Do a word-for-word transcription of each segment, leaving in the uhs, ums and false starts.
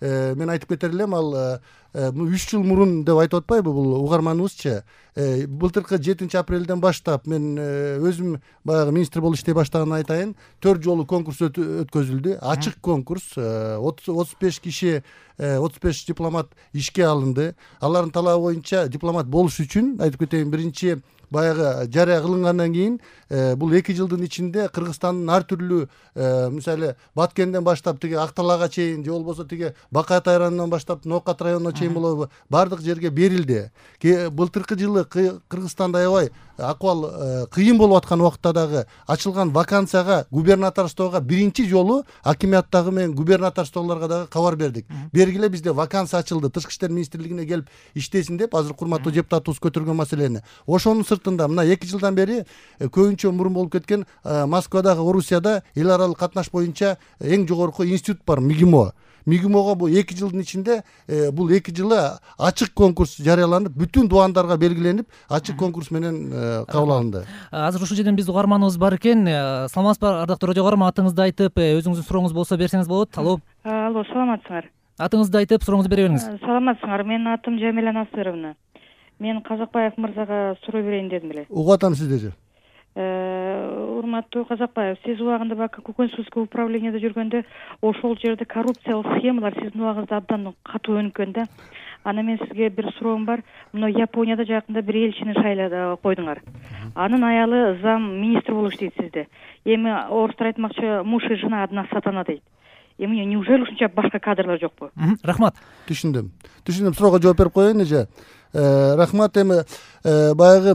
мен айтып кетер элем, ал үч жыл мурун деп айтып атпайбы бул угарманыбызчы. Былтыркы жетинчи апрелден баштап мен өзүм баягы министр болуп иштей баштаганын айтайын, төрт жолу конкурс өткөзүлдү. Ачык конкурс. отуз беш киши, отуз беш дипломат ишке алынды. Алардын талабы боюнча дипломат болуш үчүн айтып кетейин, биринчи баягы жарыя кылынгандан кийин бул эки жылдын ичинде Кыргызстандын ар түрлүү, мисалы Баткенден баштап тиги Акталага чейин, же болбосо тиги Бакаат районунан баштап Ноокат районуна чейин болобу, бардык жерге берилди. Былтыркы жылы Кыргызстанда аябай акыбал кыйын болуп аткан убакытта дагы ачылган вакансияга губернаторствого биринчи жолу акиматтагы менен губернаторстволорго дагы кабар бердик. Бергиле бизде вакансия ачылды, Тышкы иштер министрлигине келип иштесин деп, азыр курматтуу депутатыбыз көтөргөн маселени. Ошонун сыртында мына эки жылдан бери көбүнчө мурун болуп кеткен Москвадагы Орусияда эл аралык катнаш боюнча эң жогорку институт бар, МИГИМО. МИГИМОго бул эки жылдын ичинде бул эки жылы ачык конкурс жарыяланып, бүтүн дубандарга белгиленип, ачык конкурс менен кабыл алынды. Азыр ушул жерден биздин угарманыбыз бар экен. Саламатсызбы, ардактуу радио угарман, атыңызды айтып, өзүңүздүн сурооңуз болсо берсеңиз болот. Алло. Алло, саламатсыңар? Атыңызды айтып, сурооңузду бере бериңиз. Саламатсыңар? Менин атым Жамиля Насыровна. Мен Казакбаев мырзага суроо берейин дедим эле. Угуп атам сиздерди. Урматтуу Казакбаев, сиз убагында бака Көкөнсүзгө управлениеде жүргөндө ошол жерде коррупциялык схемалар сиздин убагыңызда абдан катуу өнүккөн да. Ана мен сизге бир суроом бар. Мына Японияда жакында бир элчини шайлап койдуңар. Анын аялы зам министр болуп иштейт сизде. Эми орустар айтмакчы, муж и жена одна сатана дейт. Эми неужели ушунча башка кадрлар жокпу? Рахмат. Түшүндүм. Түшүндүм. Суроого жооп берип коеюн эже. Рахмат. Эми баягы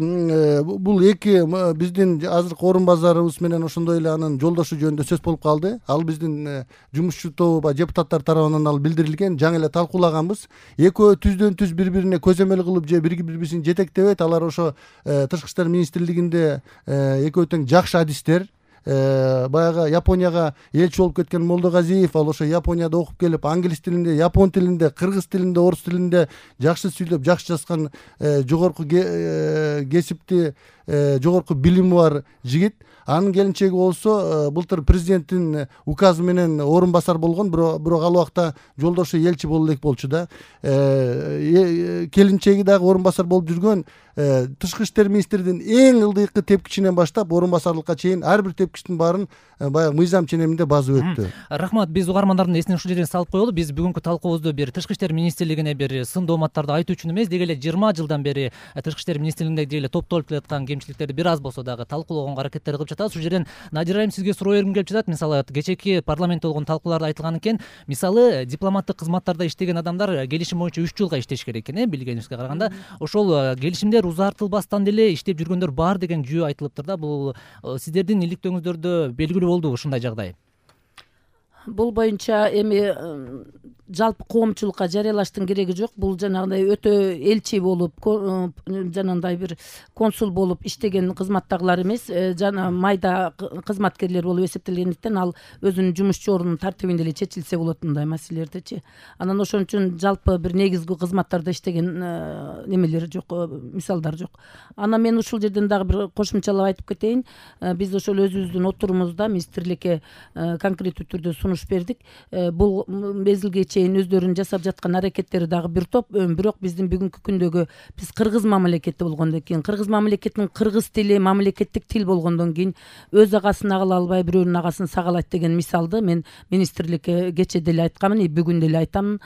бул эки биздин азыркы орун базарыбыз менен ошондой эле анын жолдошу жөнүндө сөз болуп калды. Ал биздин жумушчу тобу депутаттар тарабынан ал билдирилген, жаңы эле талкуулаганбыз. Экөө түздөн түз бири-бирине көзөмөл кылып же бири-бирисин жетектебейт. Алар ошо Тышкы иштер министрлигинде экөө тең жакшы адистер. Баягы Японияга элчи болуп кеткен Молдогазиев, ал ошо Японияда окуп келип, англис тилинде, япон тилинде, кыргыз тилинде, орус тилинде жакшы сүйлөп, жакшы жазган жогорку кесипти, жогорку билими бар жигит. Анын келинчеги болсо былтыр президенттин указы менен орун басар болгон, бирок ал убакта жолдошу элчи боло элек болчу да. Келинчеги дагы орун басар болуп жүргөн. Тышкы иштер министринин эң ылдыйкы тепкичинен баштап орун басарлыкка чейин ар бир тепкичтин баарын баягы мыйзам ченеминде базып өттү. Рахмат. Биз угармандардын эсине ушул жерден салып коелу. Биз бүгүнкү талкуубузду бир Тышкы иштер министрлигине бир сын дооматтарды айтуу үчүн эмес, деги эле жыйырма жылдан бери Тышкы иштер министрлигинде деги эле топтолуп келаткан кемчиликтерди бир аз болсо дагы талкуулоого аракеттер кылып жатабыз. Ушул жерден Надир айым сизге суроо бергим келип жатат. Мисалы кечээки парламентте болгон талкууларда айтылган экен, мисалы дипломаттык кызматтарда иштеген адамдар келишим боюнча үч жылга иштеш керек экен, э, билгенибизге караганда. Ошол келишимдер узартылбастан деле иштеп жүргөндөр бар деген жүйө айтылыптыр да. Бул сиздердин иликтөөңүздөрдө белгилүү болдубу ушундай жагдай? Бул боюнча эми жалпы коомчулукка жарыялаштын кереги жок. Бул жанагындай өтө элчи болуп, жанагындай бир консул болуп иштеген кызматтагылар эмес, жана майда кызматкерлер болуп эсептелгендиктен ал өзүнүн жумушчу ордунун тартибинде эле чечилсе болот мындай маселелердичи. Анан ошон үчүн жалпы бир негизги кызматтарда иштеген немелер жок, мисалдар жок. Анан мен ушул жерден дагы бир кошумчалап айтып кетейин. Биз ошол өзүбүздүн отурумузда министрликке конкреттүү түрдө сунуш бердик. Бул мезгилге чейин өздөрүнүн жасап жаткан аракеттери дагы бир топ, бирок биздин бүгүнкү күндөгү биз кыргыз мамлекети болгондон кийин, кыргыз мамлекетинин кыргыз тили мамлекеттик тил болгондон кийин өз агасын агала албай бирөөнүн агасын сагалайт деген мисалды мен министрликке кечээ деле айткамын, и бүгүн деле айтамын.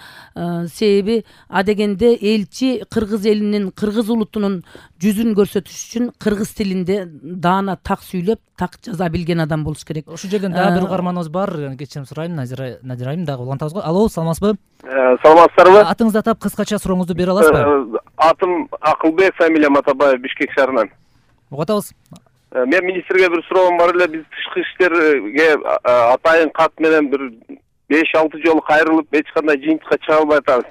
Себеби адегенде элчи кыргыз элинин, кыргыз улутунун жүзүн көрсөтүш үчүн кыргыз тилинде даана так сүйлөп, так жаза билген адам болуш керек. Ушул жерден дагы бир угарманыбыз бар, кечирим сурайм, Надир айым дагы улантабыз го. Алло, саламатсызбы? Саламатсыздарбы? Атыңызды атап кыскача сурооңузду бере аласызбы? Атым Акылбек, фамилиям Атабаев, Бишкек шаарынан. Угуп атабыз. Мен министрге бир суроом бар эле. Биз тышкы иштерге атайын кат менен бир беш алты жолу кайрылып, эч кандай жыйынтыкка чыга албай атабыз.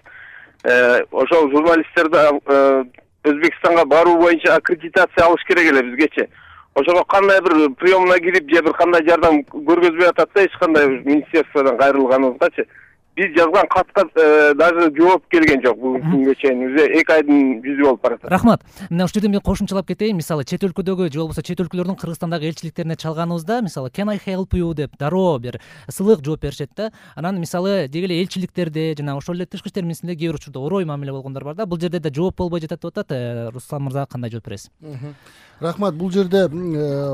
Ошол журналисттерди Өзбекстанга баруу боюнча аккредитация алыш керек эле бизгечи. Ошого кандай бир приемна кирип же бир кандай жардам көргөзбөй атат да, эч кандай министерстводон кайрылганыбызгачы. биз жазган катка даже жооп келген жок бүгүнкү күнгө чейин. Уже эки айдын жүзү болуп баратат. Рахмат. Мына ушул жерде мен кошумчалап кетейин. Мисалы чет өлкөдөгү же болбосо чет өлкөлөрдүн Кыргызстандагы элчиликтерине чалганыбызда, мисалы can I help you деп дароо бир сылык жооп беришет да. Анан мисалы деги эле элчиликтерде жана ошол эле тышкы иштер министрлигинде кээ бир учурда орой мамиле болгондор бар да. Бул жерде да жооп болбой жатат деп атат. Руслан мырза кандай жооп бересиз? Рахмат. Бул жерде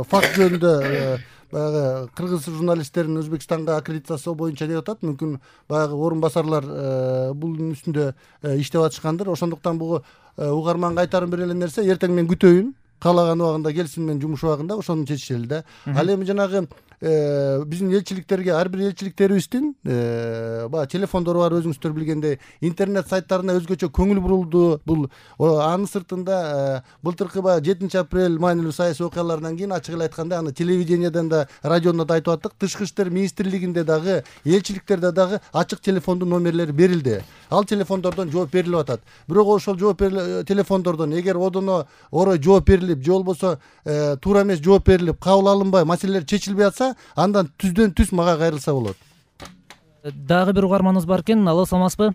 факт жөнүндө баягы кыргыз журналисттерин Өзбекстанга аккредитациялоо боюнча деп атат. Мүмкүн баягы орун басарлар бунун үстүндө иштеп атышкандыр. Ошондуктан буга угарманга айтарым бир эле нерсе, эртең мен күтөйүн. Каалаган убагында келсин менин жумуш убагында, ошону чечишели да. Ал эми жанагы биздин элчиликтерге, ар бир элчиликтерибиздин баягы телефондору бар, өзүңүздөр билгендей, интернет сайттарына өзгөчө көңүл бурулду. Бул анын сыртында былтыркы баягы жетинчи апрель маанилүү саясий окуялардан кийин ачык эле айтканда, аны телевидениеден да, радионда да айтып аттык, тышкы иштер министрлигинде дагы, элчиликтерде дагы ачык телефондун номерлери берилди. Ал телефондордон жооп берилип атат. Бирок ошол жооп телефондордон эгер одоно орой жооп берилип, же болбосо туура эмес жооп берилип, кабыл алынбай, маселелер чечилбей атса, андан түздөн түз мага кайрылса болот. Дагы бир угарманыбыз бар экен. Алло, саламатсызбы?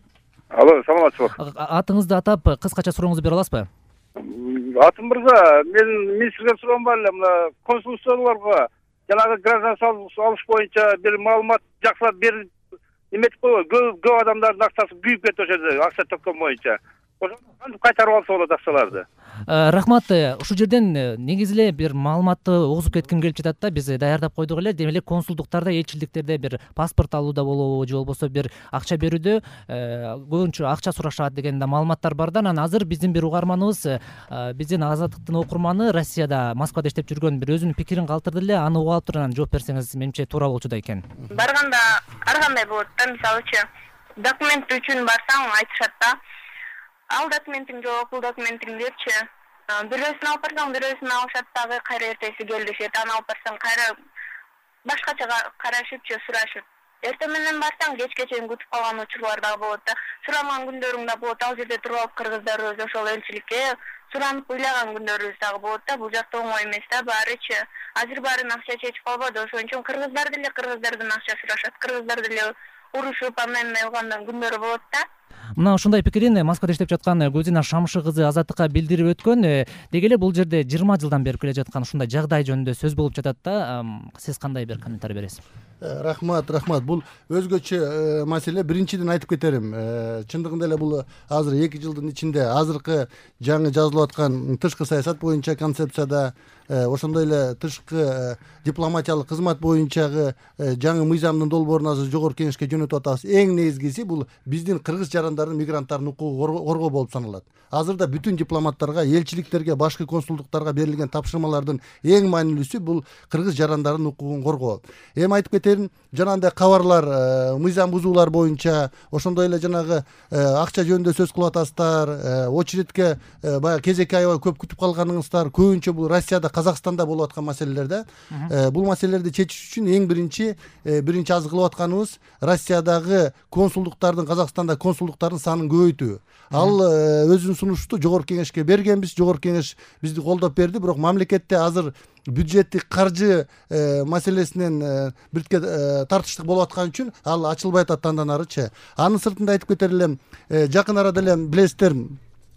Алло, саламатсызбы? Атыңызды атап, кыскача сурооңузду бере аласызбы? Атым мырза, мен министрге суроом бар эле, мына консулстволорго жанагы гражданство алыш боюнча бир маалымат жакшылап берип эметип койгой. Көп көп адамдардын акчасы күйүп кетти ошол жерде, акча төккөн боюнча. Ошону кантип кайтарып алса болот акчаларды? Рахмат. Ушул жерден негизи эле бир маалыматты угузуп кетким келип жатат да. Биз даярдап койдук эле. Демек консулдуктарда, элчиликтерде бир паспорт алууда болобу, же болбосо бир акча берүүдө көбүнчө акча сурашат деген да маалыматтар бар да. Анан азыр биздин бир угарманыбыз, биздин Азаттыктын окурманы, Россияда, Москвада иштеп жүргөн, бир өзүнүн пикирин калтырды эле. Аны угуп алып туруп анан жооп берсеңиз, менимче туура болчудай экен. Барганда ар кандай болот да. Мисалычы, документ үчүн барсаң айтышат да. Ал документиң жок, бул документиң депчи. Бирөөсүн алып барсаң, бирөөсүн алышат дагы, кайра эртеси келишет. Аны алып барсаң, кайра башкача карашыпчы, сурашып. Эртең менен барсаң, кечке чейин күтүп калган учурлар дагы болот да. Сурамаган күндөрүң да болот. Ал жерде туруп алып кыргыздарыбыз ошол элчиликке суранып ыйлаган күндөрүбүз дагы болот да. Бул жакта оңой эмес да, баарычы. Азыр баарын акча чечип калбады, ошон үчүн кыргыздар деле кыргыздардан акча сурашат. Кыргыздар деле урушуп, андан алгандан күндөрү болот да. Мына ушундай пикирин Москвада иштеп жаткан Гүлзина Шамшы кызы Азаттыкка билдирип өткөн. Деги эле бул жерде жыйырма жылдан бери келе жаткан ушундай жагдай жөнүндө сөз болуп жатат да. Сиз кандай бир комментарий бересиз? Рахмат, рахмат. Бул өзгөчө маселе. Биринчиден айтып кетерим. Чындыгында эле бул азыр эки жылдын ичинде азыркы жаңы жазылып аткан тышкы саясат боюнча концепцияда, ошондой эле тышкы дипломатиялык кызмат боюнчагы жаңы мыйзамдын долбоорун азыр жогорку кеңешке жөнөтүп атабыз. Эң негизгиси бул биздин кыргыз жарандардын, мигранттардын укугун коргоо болуп саналат. Азырда бүтүн дипломаттарга, элчиликтерге, башкы консулдуктарга берилген тапшырмалардын эң маанилүүсү бул кыргыз жарандардын укугун коргоо. Эми айтып кетерим, жанагындай кабарлар, мыйзам бузуулар боюнча, ошондой эле жанагы акча жөнүндө сөз кылып атасыздар, очередке баягы кезекке аябай көп күтүп калганыңыздар, көбүнчө бул Россияда, Казакстанда болуп аткан маселелер да. Бул маселелерди чечиш үчүн эң биринчи биринчи аз кылып атканыбыз Россиядагы консулдуктардын, Казакстанда консулдуктардын санын көбөйтүү. Ал өзүнүн сунушту жогорку кеңешке бергенбиз, жогорку кеңеш бизди колдоп берди, бирок мамлекетте азыр бюджеттик каржы маселесинен бирке тартыштык болуп аткан үчүн ал ачылбай атат андан арычы. Анын сыртында айтып кетер элем, жакын арада эле билесиздер,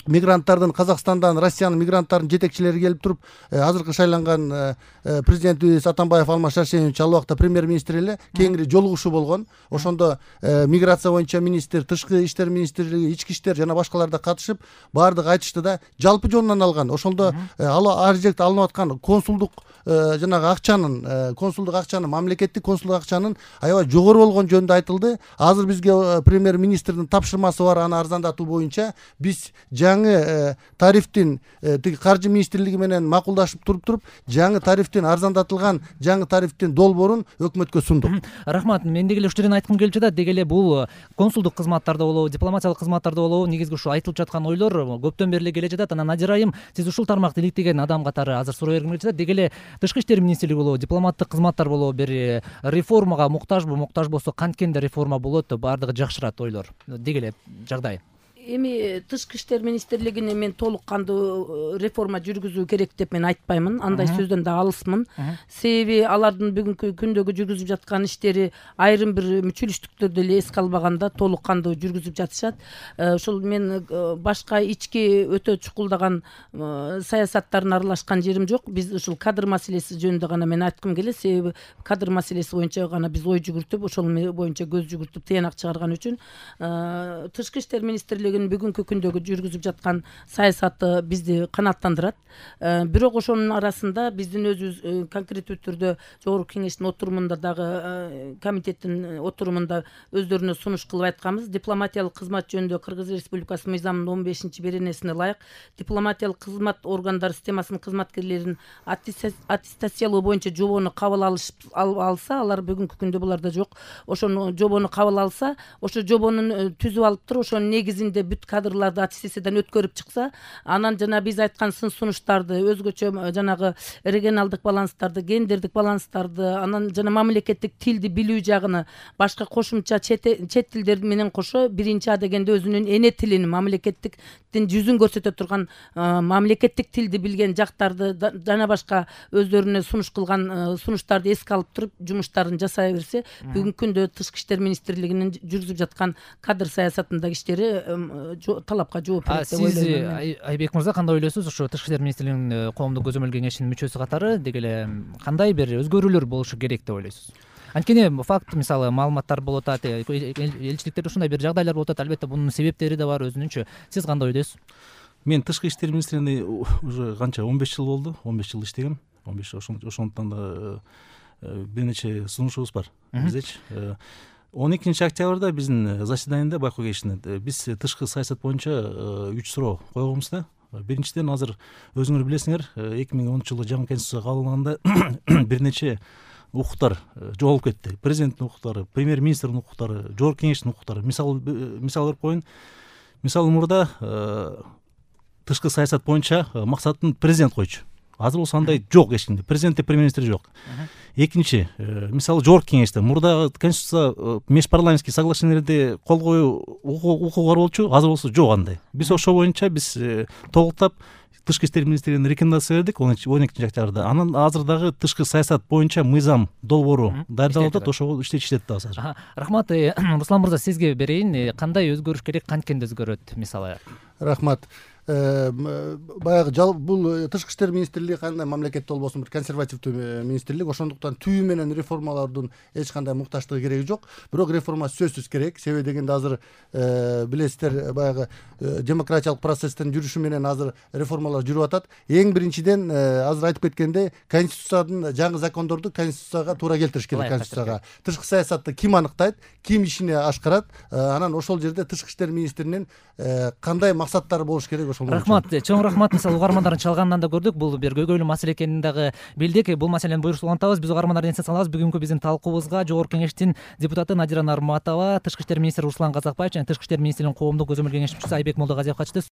мигранттардын, Казакстандан Россиянын мигранттарынын жетекчилери келип туруп, азыркы шайланган президентибиз Атамбаев Алмаз Шаршенович ал убакта премьер-министр эле кеңири жолугушуу болгон. Ошондо миграция боюнча министр, тышкы иштер министрлиги, ички иштер жана башкалар да катышып, баардыгы айтышты да, жалпы жонунан алган. Ошондо ар жерде алынып аткан консулдук жанагы акчанын, консулдук акчанын, мамлекеттик консулдук акчанын аябай жогору болгон жөнүндө айтылды. Азыр бизге премьер-министрдин тапшырмасы бар, аны арзандатуу боюнча биз жаңы тарифтин тиги каржы министрлиги менен макулдашып туруп туруп жаңы тарифтин, арзандатылган жаңы тарифтин долбоорун өкмөткө сундук. Рахмат. Мен деги эле ушул жерден айткым келип жатат. Деги эле бул консулдук кызматтарда болобу, дипломатиялык кызматтарда болобу, негизги ушу айтылып жаткан ойлор көптөн бери эле келе жатат. Анан Надир айым, сиз ушул тармакты иликтеген адам катары азыр суроо бергим келип жатат. Деги эле тышкы иштер министрлиги болобу, дипломаттык кызматтар болобу, бир реформага муктажбы, муктаж болсо канткенде реформа болот, баардыгы жакшырат ойлор. Деги эле жагдай. эми тышкы иштер министрлигине мен толук кандуу реформа жүргүзүү керек деп мен айтпаймын, андай сөздөн да алысмын. Себеби алардын бүгүнкү күндөгү жүргүзүп жаткан иштери айрым бир мүчүлүштүктөрдү эле эске албаганда толук кандуу жүргүзүп жатышат. Ошол мен башка ички өтө чукулдаган саясаттарын аралашкан жерим жок. Биз ушул кадр маселеси жөнүндө гана мен айткым келет. Себеби кадр маселеси боюнча гана биз ой жүгүртүп, ошол боюнча көз жүгүртүп тыянак чыгарган үчүн тышкы иштер министрлигинин бүгүнкү күндөгү жүргүзүп жаткан саясаты бизди канааттандырат. Бирок ошонун арасында биздин өзүбүз конкреттүү түрдө жогорку кеңештин отурумунда дагы комитеттин отурумунда өздөрүнө сунуш кылып айтканбыз. Дипломатиялык кызмат жөнүндө Кыргыз Республикасы мыйзамынын он бешинчи беренесине ылайык дипломатиялык кызмат органдары системасынын кызматкерлерин аттестациялоо боюнча жобону кабыл алса, алар бүгүнкү күндө буларда жок. Ошону жобону кабыл алса, ошо жобонун түзүп алып туруп, ошонун негизинде бүт кадрларды аттестациядан өткөрүп чыкса, анан жана биз айткан сын сунуштарды, өзгөчө жанагы регионалдык баланстарды, гендердик баланстарды, анан жана мамлекеттик тилди билүү жагыны, башка кошумча чет тилдер менен кошо биринчи А дегенде өзүнүн эне тилин, мамлекеттиктин жүзүн көрсөтө турган мамлекеттик тилди билген жактарды жана башка өздөрүнө сунуш кылган сунуштарды эске алып туруп жумуштарын жасай берсе, бүгүнкү күндө тышкы иштер министрлигинин жүргүзүп жаткан кадр саясатындагы иштери талапка жооп берет деп ойлойм. Сиз Айбек мырза кандай ойлойсуз? Ошо тышкы иштер министрлигинин коомдук көзөмөл кеңешинин мүчөсү катары деги эле кандай бир өзгөрүүлөр болушу керек деп ойлойсуз? Анткени факт, мисалы маалыматтар болуп атат, элчиликтерде ушундай бир жагдайлар болуп атат, албетте бунун себептери да бар өзүнүнчө. Сиз кандай ойдойсуз? Мен тышкы иштер министрлигинде уже канча он беш жыл болду, он беш жыл иштегем. он беш ошондуктан да бир нече сунушубуз бар биздечи. он экинчи октябрда биздин заседанияда байкоо кеңешинде биз тышкы саясат боюнча үч суроо койгонбуз да. Биринчиден, азыр өзүңөр билесиңер, эки миң онунчу жылы жаңы конституция кабыл алынганда бир нече укуктар жоголуп кетти. Президенттин укуктары, премьер-министрдин укуктары, жогорку кеңештин укуктары. Мисал мисал берип коеюн. Мисалы мурда тышкы саясат боюнча максатын президент койчу. Азыр болсо андай жок эч кимде. Президент, премьер-министр жок. Экинчи, мисалы жогорку кеңеште мурда конституция межпарламенттик соглашениелерде кол коюу укугу бар болчу, азыр болсо жок андай. Биз ошол боюнча биз толуктап тышкы иштер министрлигине рекомендация бердик он экинчи октябрда. Анан азыр дагы тышкы саясат боюнча мыйзам долбоору даярдалып атат, ошого иштечү иштет дагы азыр. Рахмат. Руслан мырза, сизге берейин. Кандай өзгөрүш керек, канткенде өзгөрөт мисалы? Рахмат. Баягы бул тышкы иштер министрлиги кандай мамлекетте болбосун бир консервативдүү министрлик, ошондуктан түбү менен реформалардын эч кандай мукташтыгы кереги жок. Бирок реформа сөзсүз керек. Себеби дегенде азыр билесиздер, баягы демократиялык процесстин жүрүшү менен азыр реформалар жүрүп атат. Эң биринчиден азыр айтып кеткендей, конституциянын жаңы закондорду конституцияга туура келтириш керек. Конституцияга тышкы саясатты ким аныктайт, ким ишине ашкарат, анан ошол жерде тышкы иштер министринин кандай максаттары болуш керек. Рахмат, чоң рахмат. Мисалы угармандардын чалганынан да көрдүк, бул бир көйгөйлүү маселе экенин дагы билдик. Бул маселени буюрса улантабыз. Биз угармандарды эске салабыз. Бүгүнкү биздин талкуубузга жогорку кеңештин депутаты Надира Нарматова, тышкы иштер министри Руслан Казакбаев жана тышкы иштер министринин коомдук көзөмөл кеңешчиси Айбек Молдогазиев катышты.